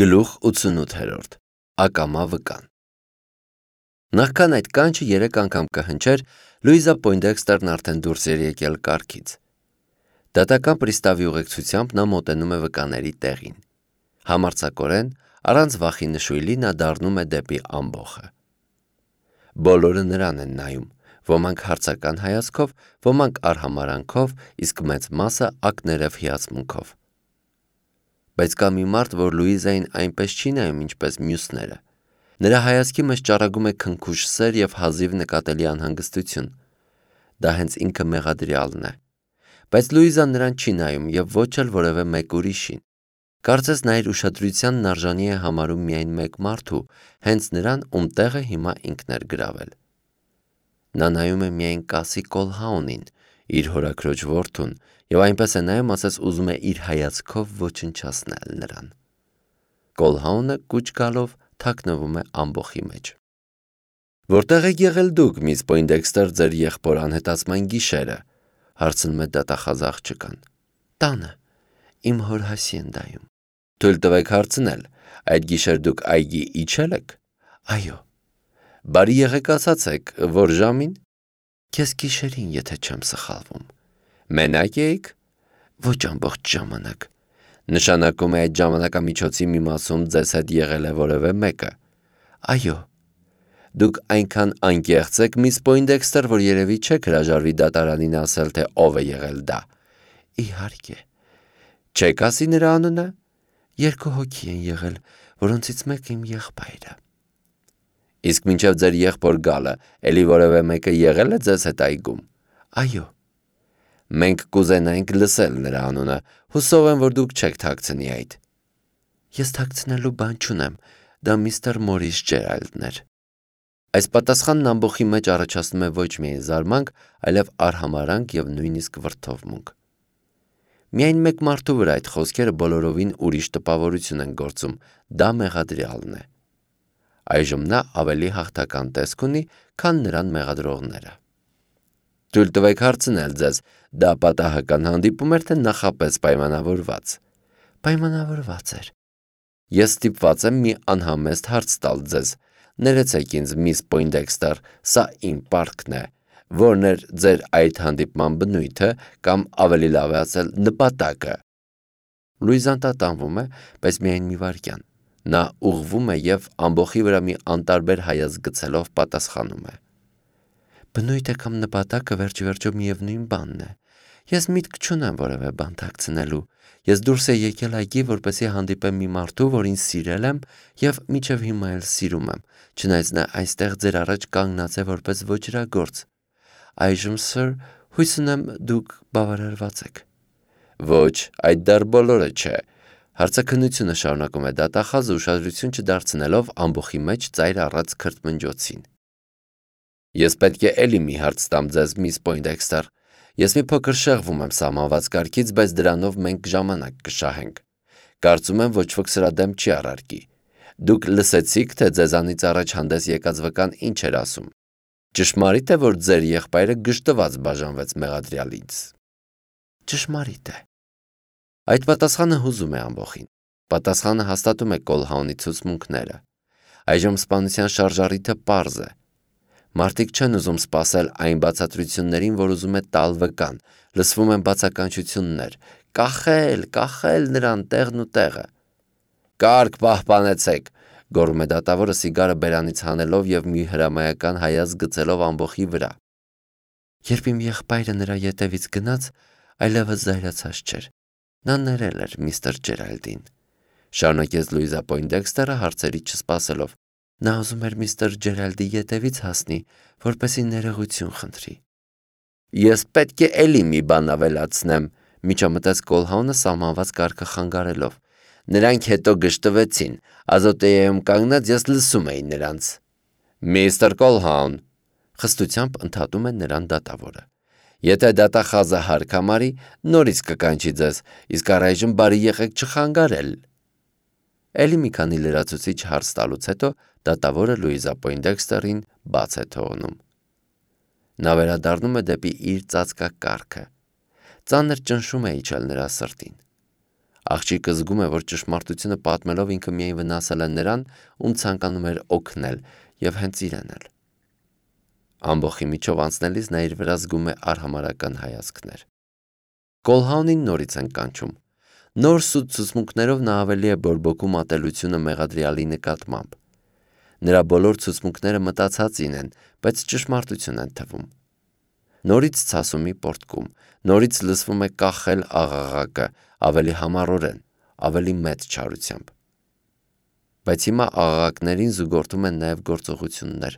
Գլուխ 88 Ակամա վկան Նախքան այդ կանչը 3 անգամ կհնչեր, Լուիզա Պոյնդեքստերն արդեն դուրս էր եկել կառքից։ Դատական պրիստավի ուղեկցությամբ նա մոտենում է վկաների տեղին։ Համարձակորեն, առանց վախի նշույլի նա դառնում է դեպի ամբոխը։ Բոլորը նրան են նայում, ոմանք հարցական հայացքով, ոմանք արհամարանքով, իսկ մեծ մասը ակներև հիացմունքով։ Բայց կա մի մարդ, որ Լուիզային այնպես չի նայում, ինչպես մյուսները։ Նրա հայացքի մեջ ճառագում է քնքուշ սեր և հազիվ նկատելի անհանգստություն։ Դա հենց ինքը մեղադրյալն է։ Բայց Լուիզան նրան չի նայում և ոչ էլ որևէ մեկ ուրիշին։ Կարծես նա իր ուշադրությանն արժանի է համարում միայն մեկ մարդու, հենց նրան, ում տեղը հիմա ինքն էր գրավել։ Նա նայում է միայն Կասի Կոլհաունին, իր հորաքրոջ որդուն, և այնպես է նայում, ասես ուզում է իր հայացքով ոչնչացնել նրան։ Կոլհաունը կուչ գալով թաքնվում է ամբոխի մեջ։ «Որտեղ եք եղել դուք, միս Պոյնդեքստեր, ձեր եղբոր անհետացման գիշերը», հարցնում է դատախազ աղջկան։ «Տանը, իմ հոր հասիենդայում»։ «Թույլ տվեք հարցնել, այդ գիշեր դուք այգի իջել եք»։ «Այո»։ «Բարի եղեք ասացեք, որ ժամին»։ «Կես գիշերին, եթե չեմ սխալվում»։ «Մենակ էիք»։ «Ոչ ամբողջ ժամանակ»։ «Նշանակում է այդ ժամանակամիջոցի մի մասում ձեզ հետ եղել է որևէ մեկը»։ «Այո»։ «Դուք այնքան անկեղծ եք, միս Պոյնդեքստեր, որ երևի չեք հրաժարվի դատարանին ասել, թե ով է եղել դա»։ «Իհարկե»։ «Չեք ասի նրա անունը»։ «2 հոգի են եղել, որոնցից մեկը իմ եղբայրը»։ «Իսկ մինչև ձեր եղբոր գալը, էլի որևէ մեկը եղել է ձեզ հետ այգում»։ «Այո»։ «Մենք կուզենայինք լսել նրա անունը, հուսով եմ, որ դուք չեք թաքցնի այդ»։ «Ես թաքցնելու բան չունեմ, դա միստր Մորիս Ջերալդն էր»։ Այս պատասխանն ամբոխի մեջ առաջացնում է ոչ միայն զարմանք, այլև արհամարհանք և նույնիսկ վրդովմունք։ Միայն մեկ մարդու վրա այդ խոսքերը բոլորովին ուրիշ տպավորություն են գործում, դա մեղադրյալն է։ Այժմ նա ավելի հաղթական տեսք ունի, քան նրան մեղադրողները։ «Թույլ տվեք հարցնել ձեզ, դա պատահական հանդիպում էր, թե նախապես պայմանավորված»։ «Պայմանավորված էր»։ «Ես ստիպված եմ մի անհամեստ հարց տալ ձեզ, ներեցեք ինձ, միս Պոյնդեքստեր, սա իմ պարտքն է, որն էր ձեր այդ հանդիպման բնույթը, կամ ավելի լավ է ասել, նպատակը»։ Լուիզան տատանվում է, բայց միայն մի վայրկյան։ Նա ուղղվում է և ամբոխի վրա մի անտարբեր հայացք գցելով պատասխանում է. «Բնույթը կամ նպատակը վերջիվերջո միևնույն բանն է։ Ես միտք չունեմ որևէ բան թաքցնելու։ Ես դուրս եմ եկել այգի, որպեսզի հանդիպեմ մի մարդու, որին սիրել եմ և մինչև հիմա էլ սիրում եմ, չնայած նա այստեղ ձեր առաջ կանգնած է որպես ոճրագործ։ Այժմ, սըր, հույս ունեմ դուք բավարարված եք»։ «Ոչ, այդ դեռ բոլորը չէ», հարցաքննությունը շարունակում է դատախազը, ուշադրություն չդարձնելով ամբոխի մեջ ծայր առած քրթմնջոցին։ «Ես պետք է էլի մի հարց տամ ձեզ, միս Պոյնդեքստեր։ Ես մի փոքր շեղվում եմ սահմանված կարգից, բայց դրանով մենք ժամանակ կշահենք։ Կարծում եմ, ոչ ոք սրա դեմ չի առարկի։ Դուք լսեցիք, թե ձեզանից առաջ հանդես եկած վկան ինչ էր ասում։ Ճշմարի՞տ է, որ ձեր եղբայրը գժտված բաժանվեց մեղադրյալից»։ «Ճշմարիտ է»։ Այդ պատասխանը հուզում է ամբոխին։ Պատասխանը հաստատում է Կոլհաունի ցուցմունքները։ Այժմ սպանության շարժառիթը պարզ է։ Մարդիկ չեն ուզում սպասել այն բացատրություններին, որ ուզում է տալ վկան, լսվում են բացականչություններ. «Կախել նրան տեղն ու տեղը»։ «Կարգ պահպանեցեք», գոռում է դատավորը սիգարը բերանից հանելով և մի հրամայական հայացք գցելով ամբոխի վրա։ «Երբ իմ եղբայրը նրա ետևից գնաց, այլևս զայրացած չէր։ Նա ներել էր միստր Ջերալդին», շարունակեց Լուիզա Պոյնդեքստերը հարցերի չսպասելով։ «Նա ուզում էր միստր Ջերալդի ետևից հասնի, որպեսզի ներողություն խնդրի»։ «Ես պետք է էլի մի բան ավելացնեմ», միջամտեց Կոլհաունը սահմանված կարգը խանգարելով։ «Նրանք հետո գժտվեցին, Ազոտեայում կանգնած ես լսում էի նրանց»։ «Միստր Կոլհաուն», խստությամբ ընդհատում է նրան դատավորը։ «Եթե դատախազը հարկ համարի, նորից կկանչի ձեզ, իսկ առայժմ բարի եղեք չխանգարել»։ Էլի մի քանի լրացուցիչ հարց տալուց հետո դատավորը Լուիզա Պոյնդեքստերին բաց է թողնում։ Նա վերադառնում է դեպի իր ծածկակառքը։ Ծանր ճնշում է իջել նրա սրտին։ Աղջիկը զգում է, որ ճշմարտությունը պատմելով ինքը միայն վնասել է նրան, ում ցանկանում էր օգնել եւ հենց իրեն էլ։ Ամբողջի միջով անցնելիս նա իր վրա զգում է արհամարհական հայացքներ։ Կոլհաունին նորից են կանչում։ Նոր սուտ ցուցմունքներով նա ավելի է բորբոքում ատելությունը մեղադրյալի նկատմամբ։ Նրա բոլոր ցուցմունքները մտածածին են, բայց ճշմարտություն են թվում։ Նորից ցասումի պորտկում, նորից լսվում է կախել աղաղակը, ավելի համառորեն, ավելի մեծ չարությամբ։ Բայց հիմա աղաղակներին զուգորդում են նաև գործողություններ։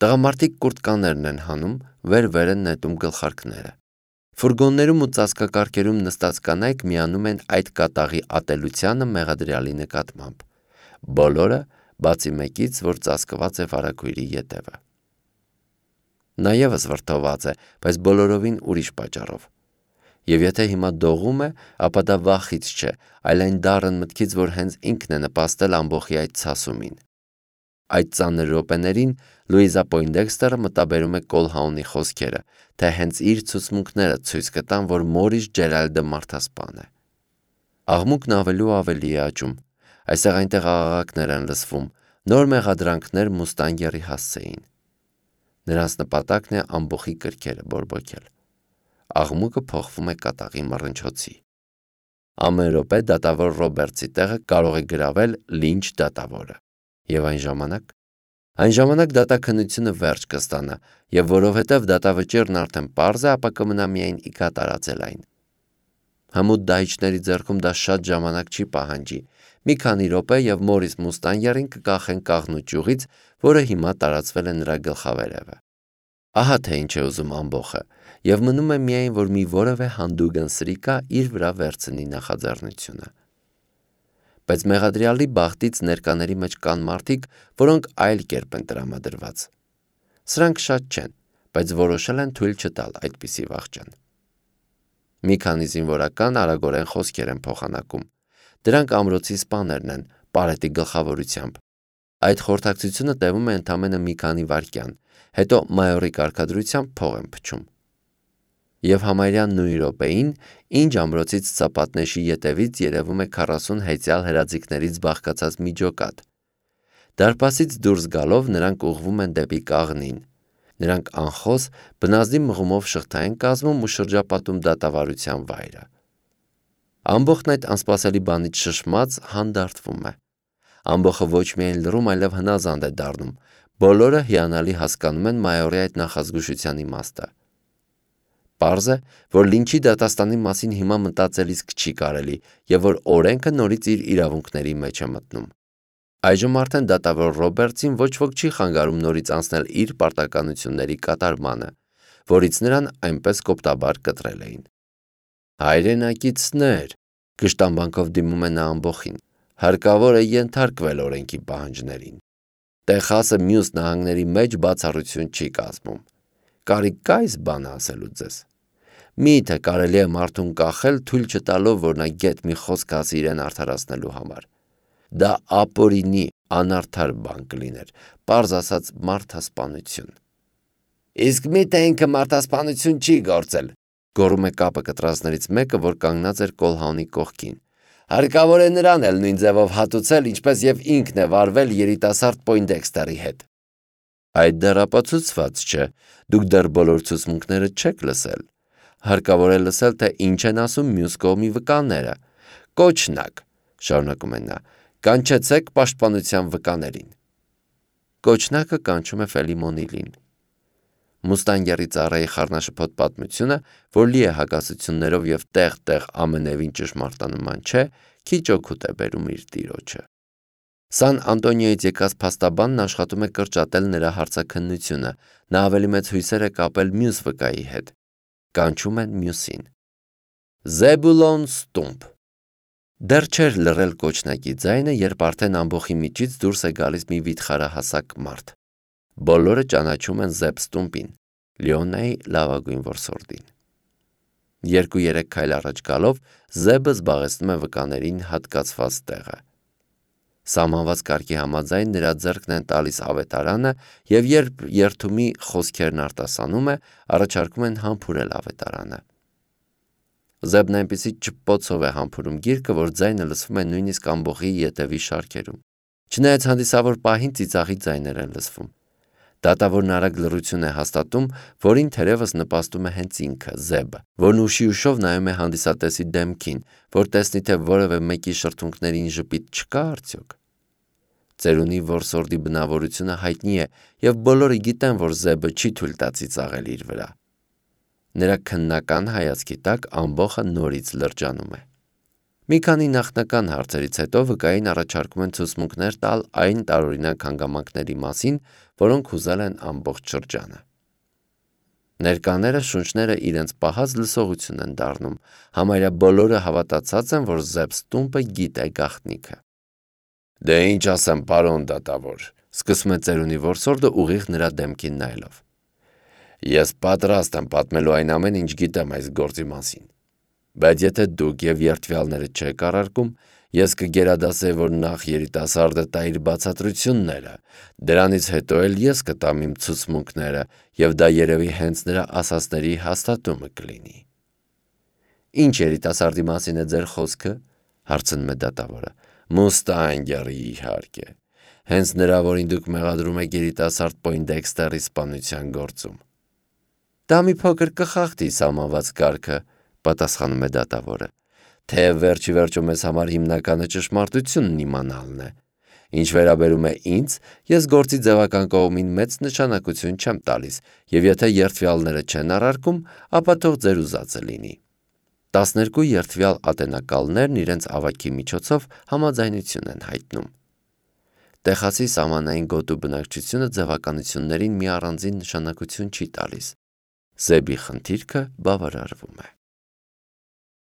Տղամարդիկ կուրտկաներն են հանում, վեր են նետում գլխարկները։ Ֆուրգոններում ու ծածկակարգերում նստած կանայք միանում են այդ կատաղի ատելությանը մեղադրյալի նկատմամբ։ Բոլորը, բացի մեկից, որ ծածկված է վարագույրի ետևը։ Նա ևս վրդոված է, բայց բոլորովին ուրիշ պատճառով։ Եվ եթե հիմա դողում է, ապա դա վախից չէ, այլ այն դառն մտքից, որ հենց ինքն է նպաստել ամբողջի այդ ցասումին։ Այդ ծանր րոպեներին Լուիզա Պոյնդեքստերը մտաբերում է Կոլհաունի խոսքերը, թե հենց իր ցուցմունքները ցույց կտան, որ Մորիս Ջերալդը մարդասպան է։ Աղմուկն ավելի ու ավելի է աճում։ Այստեղ այնտեղ աղաղակներ են լսվում, նոր մեղադրանքներ Մուստանգերի հասցեին։ Նրանց նպատակն է ամբողջի կրքերը բորբոքել։ Աղմուկը փոխվում է կատաղի մռնչոցի։ Ամեն րոպե դատավոր Ռոբերտսի տեղը կարող է գրավել Լինչ դատավորը։ Եվ այն ժամանակ դատաքննությունը վերջ կստանա, եւ որովհետեւ դատավճիռն արդեն պարզ է, ապա կմնա միայն իքա տարածել այն։ Հմուտ դահիճների ձեռքում դա շատ ժամանակ չի պահանջի։ Մի քանի րոպե եւ Մորիս Մուստանգերին կկախեն կաղնու ճյուղից, որը հիմա տարածվել է նրա գլխավերևը։ Ահա թե ինչ է ուզում ամբողը, եւ մնում է միայն, որ մի որևէ հանդուգն սրիկա իր վրա վերցնի նախաձեռնությունը։ Բայց մեղադրյալի բախտից ներկաների մեջ կան մարդիկ, որոնք այլ կերպ են տրամադրված։ Սրանք շատ չեն, բայց որոշել են թույլ չտալ այդպիսի վախճան։ Մի քանի զինվորական արագորեն խոսքեր են փոխանակում։ Դրանք ամրոցի սպաներն են, Պարետի գլխավորությամբ։ Այդ խորհրդակցությունը տևում է ընդամենը մի քանի վայրկյան, հետո մայորի կարգադրությամբ փող են փչում։ Եվ համարյա նույն րոպեին, ինչ ամրոցից Ծապատնեշի ետևից երևում է 40 հեծյալ հրաձիգներից բաղկացած մի ջոկատ։ Դարպասից դուրս գալով նրանք ուղղվում են դեպի կաղնին։ Նրանք անխոս բնազդի մղումով շղթա են կազմում ու շրջապատում դատավարության վայրը։ Ամբողջն այդ անսպասելի բանից շշմած հանդարտվում է։ Ամբողջը ոչ միայն լռում, այլև հնազանդ է դառնում։ Բոլորը հիանալի հասկանում են մայորի այդ նախազգուշության իմաստը։ Պարզ է, որ Լինչի դատաստանի մասին հիմա մտածել իսկ չի կարելի, եւ որ օրենքը նորից իր իրավունքների մեջ է մտնում։ Այժմ արդեն դատավոր Ռոբերտսին ոչ ոք չի խանգարում նորից անցնել իր պարտականությունների կատարմանը, որից նրան այնպես կոպտաբար կտրել էին։ Հայրենակիցներ, կշտամբանքով դիմում է նա ամբողջին, հարկավոր է ենթարկվել օրենքի պահանջներին։ Տեխասը մյուս նահանգների մեջ բացառություն չի կազմում։ Կարիք կա այս բանը ասելու ձեզ։ Միթե կարելի է մարդուն կախել, թույլ չտալով, որ նա գետ մի խոսք ասի իրեն արդարացնելու համար։ Դա ապօրինի, անարդար բան կլիներ, պարզ ասած մարդասպանություն։ Իսկ միթե ինքը մարդասպանություն չի գործել, գոռում է կապը կտրածներից մեկը, որ կանգնած էր Կոլհաունի կողքին։ Հարկավոր է նրան էլ նույն ձևով հատուցել, ինչպես եւ ինքն է վարվել երիտասարդ Պոյնդեքստերի հետ։ Այդ դեռ ապացուցված չէ, դուք դեռ բոլոր ցուցմունքները չեք լսել։ Հարկավոր է լսել, թե ինչ են ասում մյուս կողմի վկաները։ Կոչնակ, շարունակում է նա, կանչեցեք պաշտպանության վկաներին։ Կոչնակը կանչում է Ֆելիմոնիլին։ Մուստանգերի ծառայի խառնաշփոթ պատմությունը, որ լի է հակասություններով եւ տեղ-տեղ ամենևին ճշմարտանման չէ, քիչ օգուտ է բերում իր տիրոջը։ Սան Անտոնիոյից եկած փաստաբանն աշխատում է կրճատել նրա հարցաքննությունը, նա ավելի մեծ հույսեր է կապել մյուս վկայի հետ։ Կանչում են մյուսին։ Զեբուլոն Ստումփ։ Դեռ չէր լռել կոչնակի ձայնը, երբ արդեն ամբողջի միջից դուրս է գալիս մի վիթխարահասակ մարդ։ Բոլորը ճանաչում են Զեբ Ստումպին, Լիոնայի լավագույն որսորդին։ 2-3 քայլ առաջ գալով Զեբը զբաղեցնում է վկաներին հատկացված տեղը։ Սահմանված կարգի համաձայն նրա ձեռքն են տալիս ավետարանը, եւ երբ երթումի խոսքերն արտասանում է, առաջարկում են համբուրել ավետարանը։ Զեբն այնպիսի ճպպոցով է համբուրում գիրկը, որ ձայնը լսվում է նույնիսկ ամբողջի ետևի շարքերում։ Չնայած հանդիսավոր պահին ծիծաղի ձայներ են լսվում։ Դատավորն արագ լռություն է հաստատում, որին թերևս նպաստում է հենց ինքը, Զեբը, որն ուշի ուշով նայում է հանդիսատեսի դեմքին, որ տեսնի, թե որևէ մեկի շրթունքներին ժպիտ չկա արդյոք։ Ծերունի որսորդի բնավորությունը հայտնի է, եւ բոլորը գիտեն, որ Զեբը չի թույլ տա ծիծաղել իր վրա։ Նրա քննական հայացքի տակ ամբողջը նորից լրջանում է։ Մի քանի նախնական հարցերից հետո վկային առաջարկում են ցուցմունքներ տալ այն տարօրինակ հանգամանքների մասին, որոնք հուզել են ամբողջ շրջանը։ Ներկաները շունչները իրենց պահած լսողություն են դառնում, համարյա բոլորը հավատացած են, որ Զեբ Ստումպը գիտե գաղտնիքը։ Դե ինչ ասեմ, պարոն դատավոր, սկսում է ծերունի որսորդը ուղիղ նրա դեմքին նայելով։ Ես պատրաստ եմ պատմելու այն ամեն ինչ գիտեմ այս գործի մասին, բայց եթե դուք եւ երդվյալները չեք առարկում, ես կգերադասեի, որ նախ երիտասարդը տա իր բացատրությունները, դրանից հետո էլ ես կտամ իմ ցուցմունքները եւ դա երևի հենց նրա ասածների հաստատումը կլինի։ Ինչ երիտասարդի մասին է ձեր խոսքը, հարցնում է դատավորը։ Մուստանգերի իհարկե, հենց նրա, որին դուք մեղադրում եք երիտասարդ Պոյնդեքստերի սպանության գործում։ Դա մի փոքր կխախտի սահմանված կարգը, պատասխանում է դատավորը, թե վերջի վերջո մեզ համար հիմնականը ճշմարտությունն իմանալն է։ Ինչ վերաբերում է ինձ, ես գործի ձևական կողմին մեծ նշանակություն չեմ տալիս, եւ եթե երդվյալները չեն առարկում, ապա թող ձեր ուզածը լինի։ 12 երդվյալ ատենակալներն իրենց ավագի միջոցով համաձայնություն են հայտնում։ Տեխասի սահմանային գոտու բնակչությունը ձևականություններին մի առանձին նշանակություն չի տալիս։ Զեբի խնդիրքը բավարարվում է։